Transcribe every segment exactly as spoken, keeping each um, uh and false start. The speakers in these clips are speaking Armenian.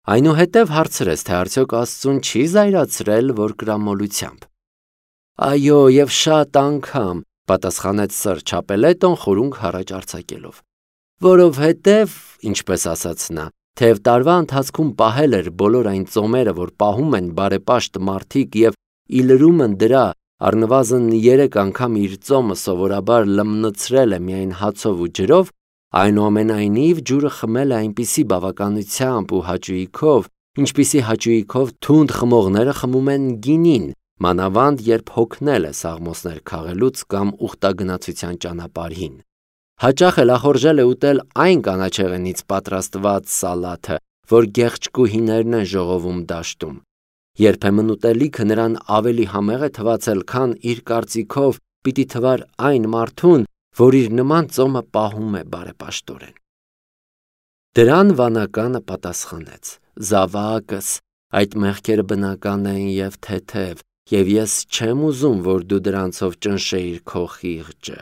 Այնուհետև հարցրեց, թե արդյոք Աստծուն չի զայրացրել, որ կրամոլությամբ։ Այո, եւ շատ անգամ, պատասխանեց Սր Չապելետոն խորունգ հառաջ արձակելով, որովհետև, ինչպես ասաց նա, թեև տարվա ընթացքում պահել էր բոլոր այն ծոմերը, որ պահում են բարեպաշտ մարդիկ եւ ի լրումն դրա առնվազն երեք անգամ իր ծոմը սովորաբար լմնցրել է միայն հացով ու ջրով, այնուամենայնիվ ջուրը խմել է այնպիսի բավականությամբ ու հաճույքով, ինչպիսի հաճույքով թունդ խմողները խմում են գինին, մանավանդ երբ հոգնել է սաղմոսներ քաղելուց կամ ուխտագնացության ճանապարհին։ Հաճախ էլ ախորժել է ուտել այն կանաչեղենից պատրաստված սալաթը, որ գեղեցկուհիներն են ժողովում դաշտում։ Երբեմն ուտելիքը նրան ավելի համեղ է թվացել, քան իր կարծիքով պիտի թվար այն մարդուն, որ իր նման ծոմը պահում է բարեպաշտորեն։ Դրան վանականը պատասխանեց. Զավակս, այդ մեղքերը բնական են եւ թեթև, եւ ես չեմ ուզում, որ դու դրանցով ճնշեիր քո խիղճը։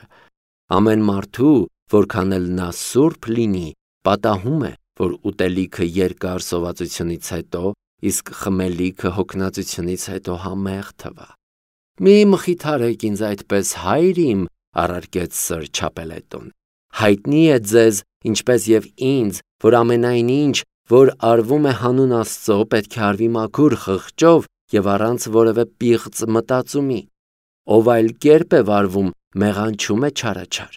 Ամեն մարդու, որքան էլ նա սուրբ լինի, պատահում է, որ ուտելիքը երկար սովածությունից հետո, իսկ խմելիքը հոգնածությունից հետո համեղ թվա։ Մի մխիթարեք ինձ այդպես, հայր իմ, առարկեց Սր Չապելետոն։ Հայտնի է ձեզ, ինչպես եւ ինձ, որ ամենայն ինչ, որ արվում է հանուն Աստծո, պետք է արվի մաքուր խղճով եւ առանց որևէ պիղծ մտածումի։ Ով այլ կերպ է վարվում, մեղանչում է չարաչար։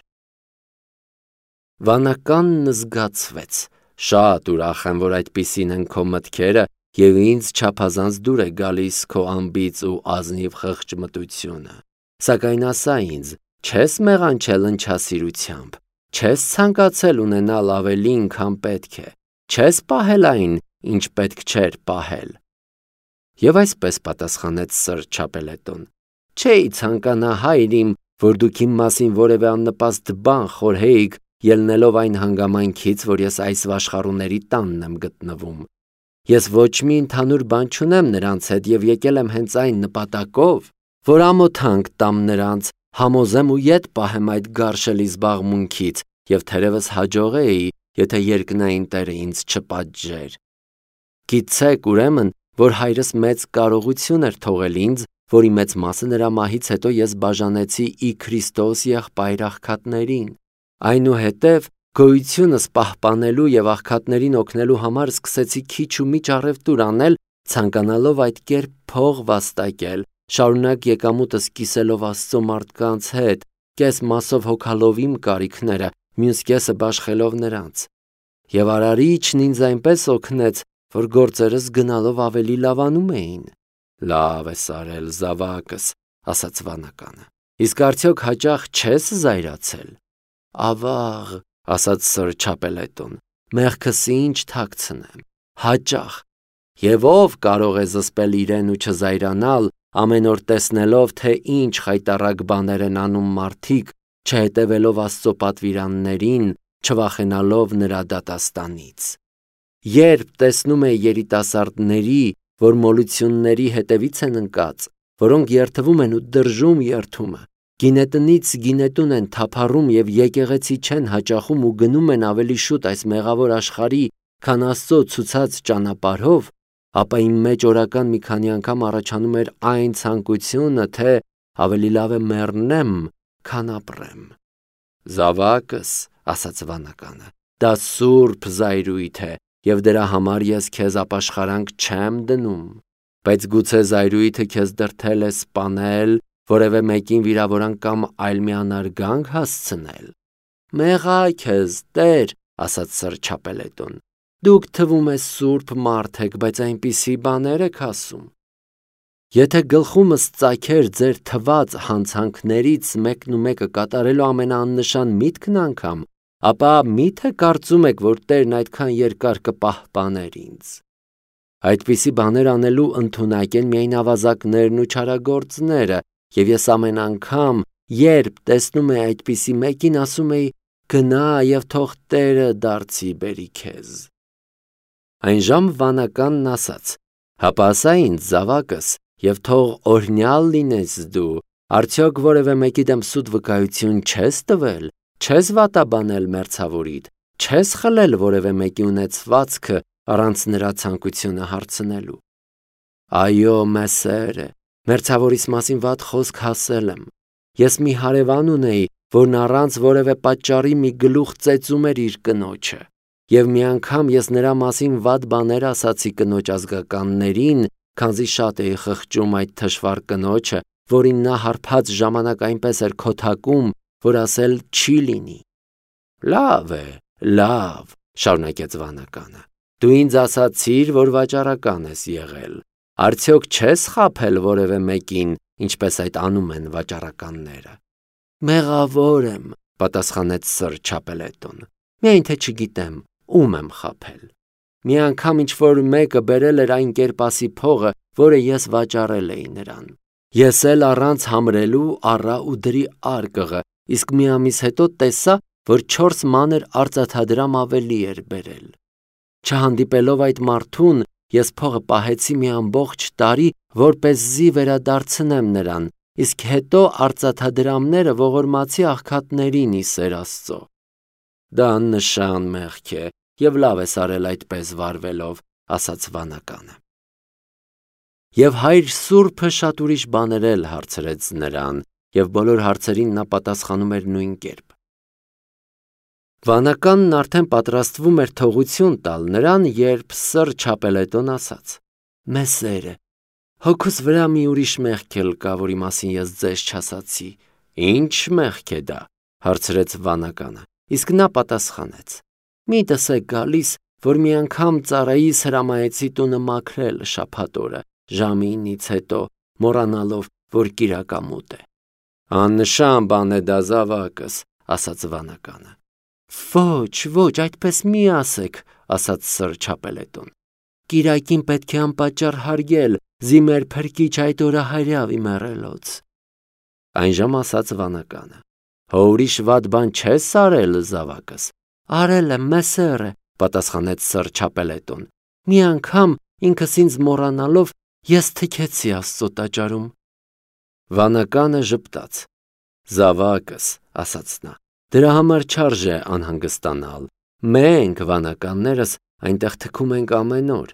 Վանականն զգացվեց. Շատ ուրախ եմ, որ այդպիսին են քո մտքերը եւ ինձ չափազանց դուր է գալիս քո ամբից ու ազնիվ խղճմտությունը։ Սակայն ասա ինձ, չես մեղանչել ընչասիրությամբ, չես ցանկացել ունենալ ավելին, քան պետք է, չես պահել այն, ինչ պետք չէր պահել։ Եվ այսպես պատասխանեց Սր Չապելետոն. Չէի ցանկանա, հայր իմ, որ դուք իմ մասին որևէ աննպաստ բան խորհեիք, ելնելով այն հանգամանքից, որ ես այս վաշխառուների տանն եմ գտնվում։ Ես ոչ մի ընդհանուր բան չունեմ նրանց հետ եւ եկել եմ հենց այն նպատակով, որ ամոթանք տամ նրանց, համոզեմ ու ետ պահեմ այդ գարշելի զբաղմունքից եւ թերևս հաջողեի, եթե երկնային Տերը ինձ չպատժեր։ Գիտեք ուրեմն, որ հայրս մեծ կարողություն էր թողել ինձ, որի մեծ մասը նրա մահից հետո ես բաժանեցի ի Քրիստոս եղբայր աղքատներին։ Այնուհետև գոյությունս պահպանելու եւ աղքատներին օգնելու համար սկսեցի քիչ ու միջ առևտուր անել, ցանկանալով այդ կերպ փող վաստակել, շարունակ եկամուտս կիսելով Աստծո մարդկանց հետ, կես մասով հոգալով իմ կարիքները, մյուս կեսը բաշխելով նրանց։ Եվ Արարիչն ինձ այնպես օգնեց, որ գործերս գնալով ավելի լավանում էին։ Լավ ես արել, զավակս, ասաց վանականը։ Իսկ արդյոք հաճախ չես զայրացել։ Ավաղ, ասաց Սր Չապելետոն, մեղքս ինչ թաքցնեմ, հաճախ։ Եվ ով կարող է զսպել իրեն ու չզայրանալ, ամեն օր տեսնելով, թե ինչ խայտառակ բաներ են անում մարդիկ, չհետևելով Աստծո պատվիրաններին, չվախենալով նրա դատաստանից։ Երբ տեսնում է երիտասարդների, որ մոլությունների հետևից են ընկած, որոնք երթվում են ու դրժում երթումը, գինետնից գինետուն են թափառում եւ եկեղեցի չեն հաճախում ու գնում են ավելի շուտ այս մեղավոր աշխարհի, քան Աստծո ցուցած ճանապարհով, ապա իմ մեջ օրական մի քանի անգամ առաջանում էր այն ցանկությունը, թե ավելի լավ է մեռնեմ, քան ապրեմ։ Զավակս, ասաց վանականը, դա սուրբ զայրույթ է, եւ դրա համար ես քեզ ապաշխարանք չեմ դնում, բայց գուցե զայրույթը քեզ դրդել է սպանել, որևէ մեկին վիրավորան կամ այլ մի անարգանք հասցնել։ Մեղա քեզ, Տեր, ասաց Սր Չապելետոն, դուք թվում է սուրբ մարդ եք, բայց այնպիսի բաներ եք ասում։ Եթե գլխումս ծագեր ձեր թված հանցանքներից մեկն ու մեկը կատարելու ամենաաննշան միտքն անգամ, ապա մի՞թե կարծում եք, որ Տերն այդքան երկար կպահպաներ ինձ։ Այդպիսի բաներ անելու ընդունակ են միայն ավազակներն ու չարագործները, եւ ես ամեն անգամ, երբ տեսնում էի այդպիսի մեկին, ասում էի. գնա եւ թող Տերը դարձի բերի քեզ։ Այն ժամ վանականն ասաց. հապա ասա ինձ, զավակս, եւ թող օրհնյալ լինես դու, արդյոք որևէ մեկի դեմ սուտ վկայություն չես տվել, չես վատաբանել մերձավորիդ, չես խլել որևէ մեկի ունեցվածքը առանց նրա ցանկությունը հարցնելու։ Այո, մեսերը, մերձավորիս մասին վատ խոսք հասել եմ։ Ես մի հարևան ունեի, որն առանց որևէ պատճառի մի գլուխ ծեծում էր իր կնոջը, եւ մի անգամ ես նրա մասին վատ բաներ ասացի կնոջ ազգականներին, քանզի շատ էի խղճում այդ թշվառ կնոջը, որին նա հարբած ժամանակ այնպես էր քոթակում, որ ասել չի լինի։ Լավ է, լավ, շարունակեց վանականը։ Դու ինձ ասացիր, որ վաճառական ես եղել։ Արդյոք չես խաբել որևէ մեկին, ինչպես այդ անում են վաճառականները։ Մեղավոր եմ, պատասխանեց Սր Չապելետոն։ Միայն թե չգիտեմ, ում եմ խաբել։ Մի անգամ ինչ-որ մեկը բերել էր այն կերպասի փողը, որը ես վաճառել էի նրան։ Ես էլ առանց համրելու առա ու դրի արկղը, իսկ մի ամիս հետո տեսա, որ չորս մանր արծաթադրամ ավելի էր բերել։ Չհանդիպելով այդ մարդուն, ես փողը պահեցի մի ամբողջ տարի, որպեսզի վերադարձնեմ նրան, իսկ հետո արծաթադրամները ողորմացի աղքատներին ի սեր Աստծո։ Դա աննշան մեղք է, եւ լավ ես արել այդպես վարվելով, ասաց վանականը։ Եվ հայր Սուրբը շատ ուրիշ բաներ էլ հարցրեց նրան, եւ բոլոր հարցերին նա պատասխանում էր նույն կերպ։ Վանականն արդեն պատրաստվում էր թողություն տալ նրան, երբ Սր Չապելետոն ասաց. Մեսերը, հոգուս վրա մի ուրիշ մեղք էլ կա, որի մասին ես ձեզ չասացի։ Ինչ մեղք է դա, հարցրեց վանականը, իսկ նա պատասխանեց. Միտս է գալիս, որ մի անգամ ծառայիս հրամայեցի տունը մաքրել շաբաթ օրը, ժամը ինից հետո, մոռանալով, որ կիրակամուտ է։ Աննշան բան է դա, զավակս, ասաց վանականը։ Ոչ, ոչ, այդպես մի ասեք, ասաց Սր Չապելետոն։ Կիրակին պետք է անպատճառ հարգել, զիմեր փրկիչ այդ օրը հայրավի մեռելոց։ Այնժամ ասաց վանականը. Հո ուրիշ վատ բան չես արել, զավակս։ Արել եմ, մեսերը, պատասխանեց Սր Չապելետոն։ Մի անգամ ինքս ինձ մոռանալով ես թքեցի Աստծո տաճարում։ Վանականը ժպտաց։ Զավակս, ասաց նա, դրա համար չարժե անհանգստանալ։ Մենք, վանականներս, այնտեղ թքում ենք ամեն օր։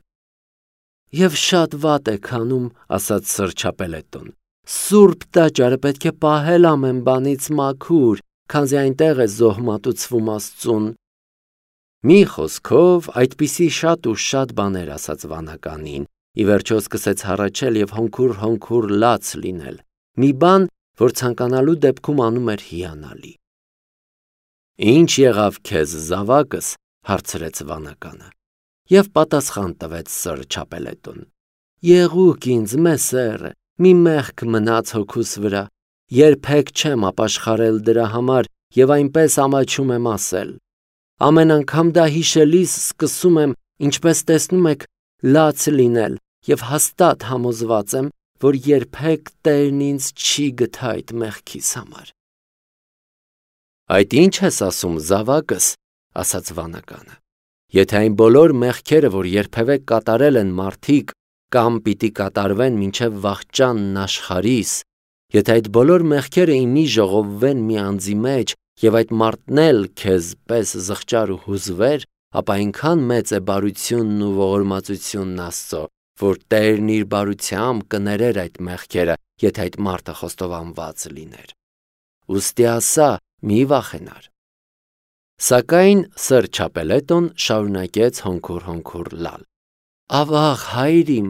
Եվ շատ վատ եք անում, ասաց Սր Չապելետոն։ Սուրբ տաճարը պետք է պահել ամեն բանից մաքուր, քանզի այնտեղ է զոհմատուցվում Աստծուն։ Մի խոսքով այդպիսի շատ ու շատ բաներ ասաց վանականին, ի վերջո սկսեց հառաչել եւ հոնքուր-հոնքուր լաց լինել, մի բան, որ ցանկանալու դեպքում անում էր հիանալի։ Ինչ եղավ քեզ, զավակս, հարցրեց վանականը, եւ պատասխան տվեց Սր Չապելետոն. Եղուկ ինձ, մեսերը, մի մեղք մնաց հոգուս վրա, երբեք չեմ ապաշխարել դրա համար եւ այնպես ամաչում եմ ասել։ Ամեն անգամ դա հիշելիս սկսում եմ, ինչպես տեսնում եք, լաց լինել եւ հաստատ համոզված եմ, որ երբեք Տերն ինձ չի գթա այդ մեղքիս համար։ Այդ ինչ ես ասում, զավակս, ասաց վանականը։ Եթե այն բոլոր մեղքերը, որ երբևէ կատարել են մարդիկ, կամ պիտի կատարվեն մինչև վախճանն աշխարհիս, եթե այդ բոլոր մեղքերը իմի ժողովվեն մի անձի մեջ, եւ այդ մարդն էլ քեզ պես զղջար ու հուզվեր, ապա այնքան մեծ է բարությունն ու ողորմածությունն Աստծո, որ Տերն իր բարությամբ կներեր այդ մեղքերը, եթե այդ մարդը խոստովանված լիներ։ Ուստի ասա, մի վախենար։ Սակայն Սր Չապելետոն շարունակեց հոնքուր-հոնքուր լալ։ Ավաղ, հայր իմ,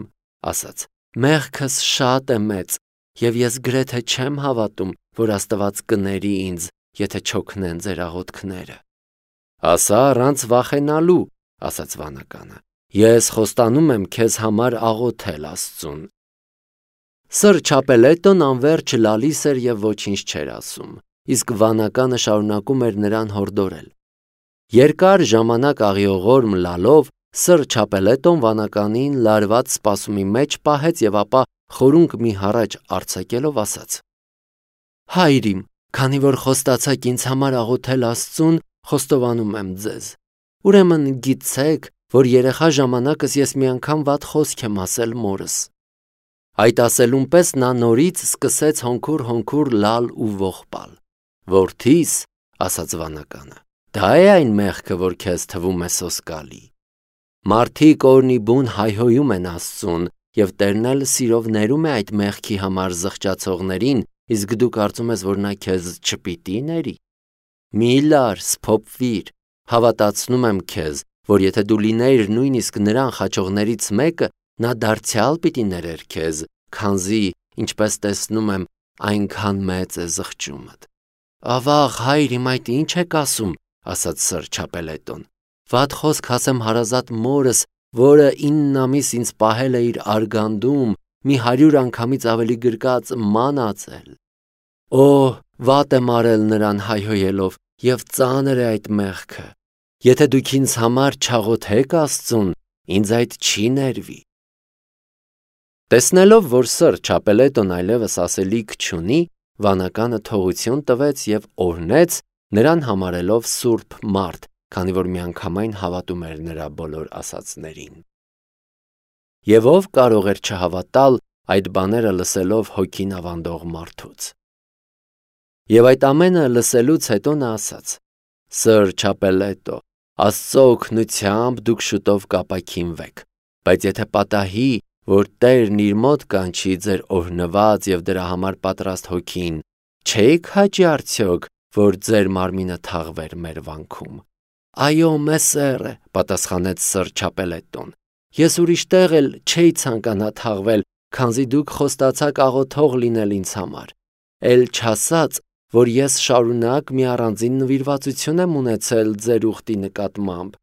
ասաց, մեղքս շատ է մեծ, եւ ես գրեթե չեմ հավատում, որ Աստված կների ինձ, եթե չօգնեն ձեր աղոթքները։ Ասա առանց վախենալու, ասաց վանականը, ես խոստանում եմ քեզ համար աղոթել Աստծուն։ Սր Չապելետոն անverջ լալիս էր եւ ոչինչ չէր ասում, իսկ վանականը շարունակում էր նրան հորդորել։ Երկար ժամանակ աղիողորմ լալով Սր Չապելետոն վանականին լարված սպասումի մեջ պահեց եւ ապա խորունկ մի հառաչ արձակելով ասաց. Հայր իմ, քանի որ խոստացաք ինձ համար աղոթել Աստծուն, խոստովանում եմ ձեզ։ Ուրեմն գիտեք, որ երեխա ժամանակս ես մի անգամ վատ խոսք եմ ասել մորս։ Այդ ասելուն պես նա նորից սկսեց հոնքուր-հոնքուր լալ ու ողբալ։ Որդիս, ասաց վանականը, դա է այն մեղքը, որ քեզ թվում է սոսկալի։ Մարդիկ օրնի բուն հայհոյում են Աստծուն, եւ Տերն էլ սիրով ներում է այդ մեղքի համար զղջացողներին, իսկ դու կարծում ես, որ նա քեզ չպիտի ների։ Մի լար, սփոփվիր, հավատացնում եմ քեզ, որ եթե դու լինեիր նույնիսկ նրան խաչողներից մեկը, նա դարձյալ պիտի ներեր քեզ, քանզի, ինչպես տեսնում եմ, այնքան մեծ է զղջումդ։ Ավաղ, հայր, իմ այդ ինչ եք ասում, ասաց Սր Չապելետոն։ Վատ խոսք ասեմ հարազատ մորս, որը ինն ամիս ինձ պահել է իր արգանդում, մի հարյուր անգամից ավելի գրկած ման ածել։ Օ, վատ եմ արել նրան հայհոյելով, եւ ծանր է այդ մեղքը։ Եթե դուք ինձ համար չաղոթեք Աստծուն, ինձ այդ չի ներվի։ Տեսնելով, որ Սր Չապելետոն այլևս ասելիք չունի, վանականը թողություն տվեց եւ օրհնեց, նրան համարելով սուրբ մարդ, քանի որ միանգամայն հավատում էր նրա բոլոր ասածներին։ Եվ ով կարող էր չհավատալ այդ բաները լսելով հոգին ավանդող մարդուց։ Եվ այդ ամենը լսելուց հետո նա ասաց. Սր Չապելետո, Աստծո օգնությամբ դուք շուտով կապաքինվեք, բայց եթե պատահի, որ Տերն իր մոտ կանչի ձեր օրհնված եւ դրա համար պատրաստ հոգին, չեք հաճի արդյոք, որ ձեր մարմինը թաղվեր մեր վանքում։ Այո, մեսեր է, պատասխանեց Սր Չապելետոն։ Ես ուրիշ տեղ էլ չէի ցանկանա թաղվել, քանզի դուք խոստացաք աղոթող լինել ինձ համար։ Էլ չասած, որ ես շարունակ մի առանձին նվիրվածություն եմ ունեցել ձեր ուխտի նկատմամբ։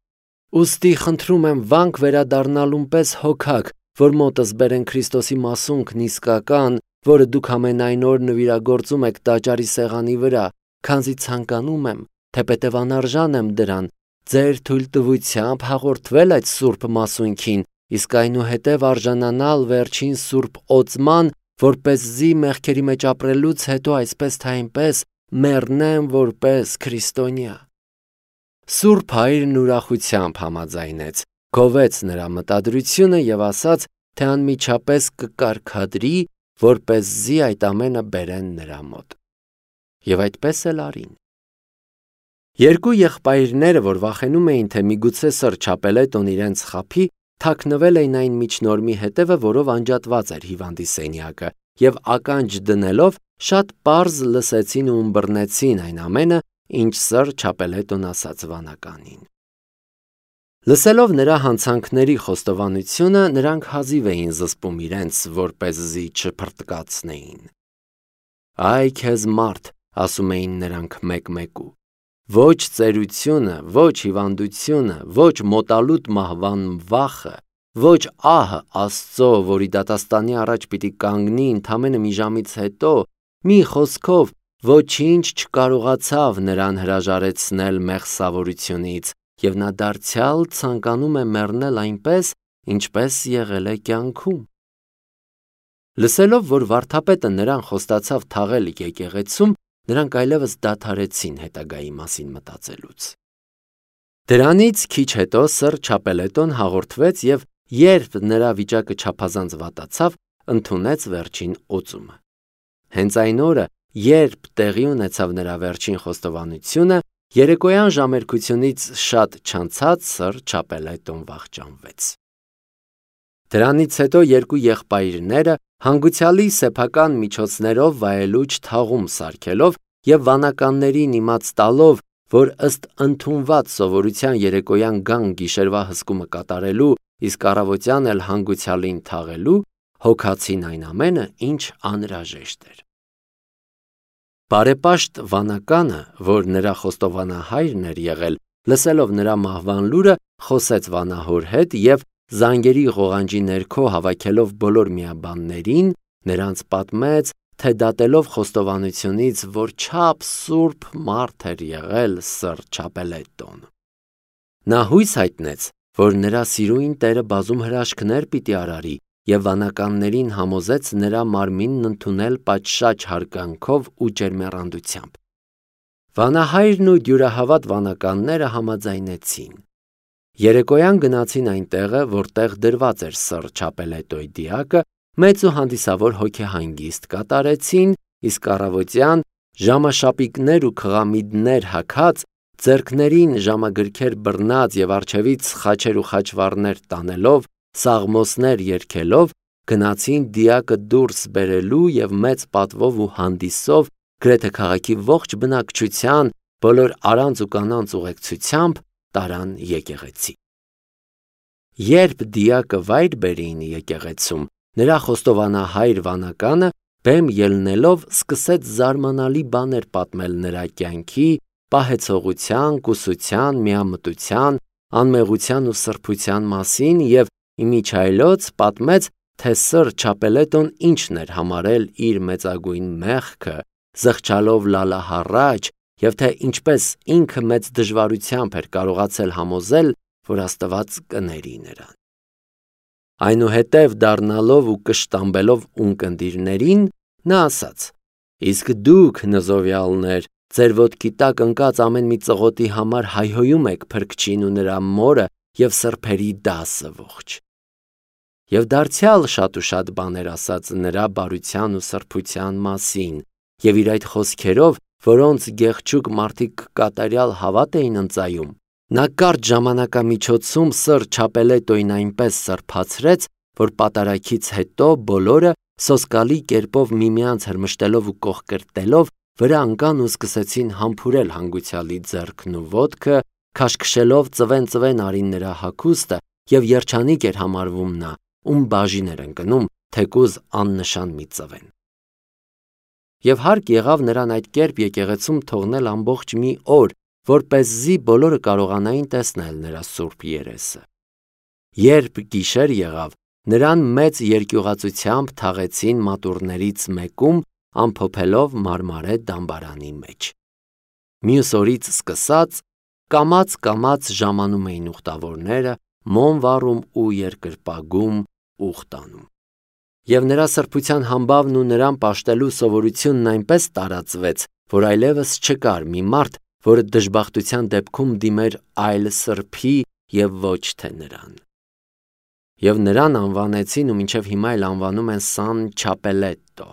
Ուստի խնդրում եմ վանք վերադառնալուն պես հոգաք, որ մոտս բերեն Քրիստոսի մասունքն իսկական, որը դուք ամենայն օր նվիրագործում եք տաճարի սեղանի վրա, քանզի ցանկանում եմ, թեպետև անարժան եմ դրան, ձեր թույլտվությամբ հաղորդվել այդ սուրբ մասունքին, իսկ այնուհետև արժանանալ վերջին սուրբ օծման, որպեսզի մեղքերի մեջ ապրելուց հետո այսպես թե այնպես մեռնեմ որպես քրիստոնյա։ Սուրբ հայրն ուրախությամբ համաձայնեց, գովեց նրա մտադրությունը եւ ասաց, թե անմիջապես կկարգադրի, որպեսզի այդ ամենը բերեն նրա մոտ։ Եվ այդպես էլ արին։ Երկու եղբայրները, որ վախենում էին, թե միգուցե Սր Չապելետոն իրենց խաբի, թաքնվել էին այն միջնորմի հետևը, որով անջատված էր հիվանդի սենյակը, եւ ականջ դնելով շատ պարզ լսեցին ու ըմբռնեցին այն ամենը, ինչ Սր Չապելետոն ասաց վանականին։ Լսելով նրա հանցանքների խոստովանությունը, նրանք հազիվ էին զսպում իրենց, որպեսզի չփրտկացնեին։ Այ քեզ մարդ, ասում էին նրանք մեկ-մեկու, ոչ ծերությունը, ոչ հիվանդությունը, ոչ մոտալուտ մահվան վախը, ոչ ահը Աստծո, որի դատաստանի առաջ պիտի կանգնի ընդամենը մի ժամից հետո, մի խոսքով ոչինչ չկարողացավ նրան հրաժարեցնել մեղսավորությունից, եւ նա դարձյալ ցանկանում է մեռնել այնպես, ինչպես եղել է կյանքում։ Լսելով, որ վարդապետը նրան խոստացավ թաղել եկեղեցում, նրանք այլևս դադարեցին հետագայի մասին մտածելուց։ Դրանից քիչ հետո Սր Չապելետոն հաղորդվեց եւ երբ նրա վիճակը չափազանց վատացավ, ընդունեց վերջին օծումը։ Հենց այն օրը, երբ տեղի ունեցավ նրա վերջին խոստովանությունը, երեկոյան ժամերկությունից շատ չանցած Սր Չապելետոն վախճանվեց։ Դրանից հետո երկու եղբայրները հանգուցյալի սեփական միջոցներով վայելուչ թաղում սարքելով եւ վանականներին իմաց տալով, որ ըստ ընդունված սովորության երեկոյան գան գիշերվա հսկումը կատարելու, իսկ առավոտյան էլ հանգուցյալին թաղելու, հոգացին այն ամենը, ինչ անհրաժեշտ էր։ Բարեպաշտ վանականը, որ նրա խոստովանահայրն էր եղել, լսելով նրա մահվան լուրը, խոսեց վանահոր հետ եւ զանգերի ղողանջի ներքո հավաքելով բոլոր միաբաններին, նրանց պատմեց, թե դատելով խոստովանությունից, որ չափ սուրբ մարդ էր եղել Սր Չապելետոն։ Նա հույս հայտնեց, որ նրա սիրույն Տերը բազում հրաշքներ պիտի արարի եւ վանականներին համոզեց նրա մարմինն ընդունել պատշաճ հարգանքով ու ջերմեռանդությամբ։ Վանահայրն ու դյուրահավատ վանականները համաձայնեցին։ Երեկոյան գնացին այն տեղը, որտեղ դրված էր Սր Չապելետոյի դիակը, մեծ ու հանդիսավոր հոգեհանգիստ կատարեցին, իսկ առավոտյան ժամաշապիկներ ու քղամիդներ հագած ձեռքներին ժամագրքեր բռնած եւ առջևից խաչեր ու խաչվառներ տանելով, սաղմոսներ երգելով, գնացին դիակը դուրս բերելու եւ մեծ պատվով ու հանդիսով գրեթե քաղաքի ողջ բնակչության բոլոր արանց ու կանանց ուղեկցությամբ տարան եկեղեցի։ Երբ դիակը վայր բերին եկեղեցում, նրա խոստովանահայր վանականը բեմ ելնելով սկսեց զարմանալի բաներ պատմել նրա կյանքի, պահեցողության, կուսության, միամտության, անմեղության ու սրբության մասին եւ իմիջայլոց պատմեց, թե սր Չապելետոն ինչն էր համարել իր մեծագույն մեղքը, զղջալով լալահառաջ, եւ թե ինչպես ինքը մեծ դժվարությամբ էր կարողացել համոզել, որ Աստված կների նրան։ Այնուհետև դառնալով ու կշտամբելով ունկնդիրներին, նա ասաց. «Իսկ դուք, նզովյալներ, ձեր ոտքի տակ ընկած ամեն մի ծղոտի համար հայհոյում եք Փրկչին ու նրա մորը եւ սրբերի դասը ողջ»։ Եվ դարձյալ շատ ու շատ բաներ ասաց նրա բարության ու սրբության մասին, եւ իր այդ խոսքերով, որոնց գեղչուկ մարդիկ կատարյալ հավատ էին ընծայում, նա կարճ ժամանակամիջոցում սր Չապելետոին այնպես սրբացրեց, որ պատարագից հետո բոլորը սոսկալի կերպով միմյանց հրմշտելով ու կողկրտելով վրա ընկան ու սկսեցին համբուրել հանգուցյալի ձեռքն ու ոտքը, քաշքշելով ծվեն-ծվեն արին նրա հագուստը, եւ երջանիկ էր համարվում նա, ում բաժին էր ընկնում, թեկուզ աննշան մի ծվեն։ Եվ հարկ եղավ նրան այդ կերպ եկեղեցում թողնել ամբողջ մի օր, որպեսզի բոլորը կարողանային տեսնել նրա սուրբ երեսը։ Երբ գիշեր եղավ, նրան մեծ երկյուղածությամբ թաղեցին մատուռներից մեկում, ամփոփելով մարմարե դամբարանի մեջ։ Մյուս օրից սկսած կամաց-կամաց ժամանում էին ուխտավորները, մոմ վառում ու երկրպագում ուխտանում։ Եվ նրա սրբության համբավն ու նրան պաշտելու սովորությունն այնպես տարածվեց, որ այլևս չկար մի մարդ, որը դժբախտության դեպքում դիմեր այլ սրբի եւ ոչ թե նրան։ Եվ նրան անվանեցին ու մինչև հիմա էլ անվանում են Սան Չապելետո։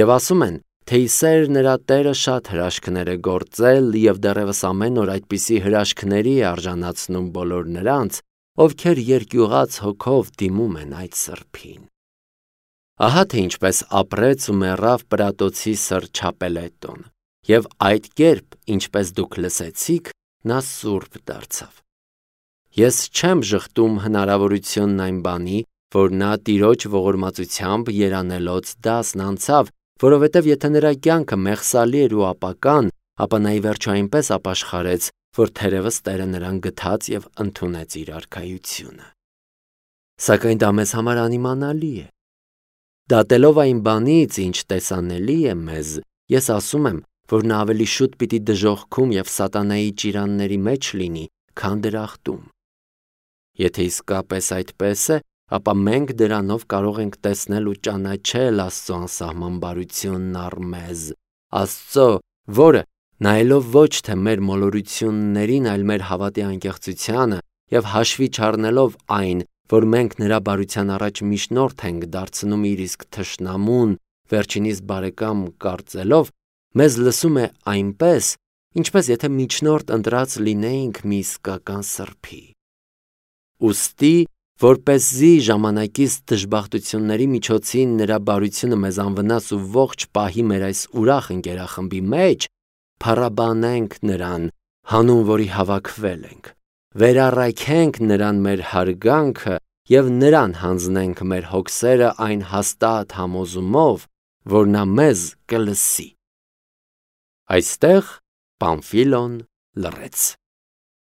Եվ ասում են, թե Իսեր նրա տերը շատ հրաշքներ է գործել եւ դեռևս ամեն օր այդպիսի հրաշքների է արժանացնում բոլոր նրանց, ովքեր երկյուղած հոգով դիմում են այդ սրբին։ Ահա թե ինչպես ապրեց ու մեռավ Պրատոցի սր Չապելետոն, եւ այդ կերպ, ինչպես դուք լսեցիք, նա սուրբ դարձավ։ Ես չեմ ժխտում հնարավորությունն այն բանի, որ նա Տիրոջ ողորմածությամբ երանելոց դասն անցավ, որովհետև եթե նրա կյանքը մեղսալի էր ու ապական, ապա նա ի վերջո այնպես ապաշխարեց, որ թերևս Տերը նրան գթած եւ ընդունեց իր արքայությունը։ Սակայն դա մեզ համար անիմանալի է։ Դատելով այն բանից, ինչ տեսանելի է մեզ, ես ասում եմ, որ նա ավելի շուտ պիտի դժոխքում եւ սատանայի ճիրանների մեջ լինի, քան դրախտում։ Եթե իսկապես այդպես է, ապա մենք դրանով կարող ենք տեսնել ու ճանաչել Աստծո անսահման բարությունն առ մեզ, Աստծո, որը, նայելով ոչ թե մեր մոլորություններին, այլ մեր հավատի անկեղծությանը եւ հաշվի չառնելով այն, որ մենք նրա բարության առաջ միջնորդ ենք դարձնում իր իսկ թշնամուն, վերջինիս բարեկամ կարծելով, մեզ լսում է այնպես, ինչպես եթե միջնորդ ընտրած լինեինք մի իսկական սրբի։ Ուստի, որպեսզի ժամանակից դժբախտությունների միջոցին նրա բարությունը մեզ անվնաս ու ողջ պահի մեր այս ուրախ ընկերախմբի մեջ, փառաբանենք նրան, հանուն որի հավաքվել ենք, վերառայքենք նրան մեր հարգանքը եւ նրան հանձնենք մեր հոգսերը այն հաստատ համոզումով, որ նա մեզ կլսի։ Այստեղ Պամֆիլոն լռեց։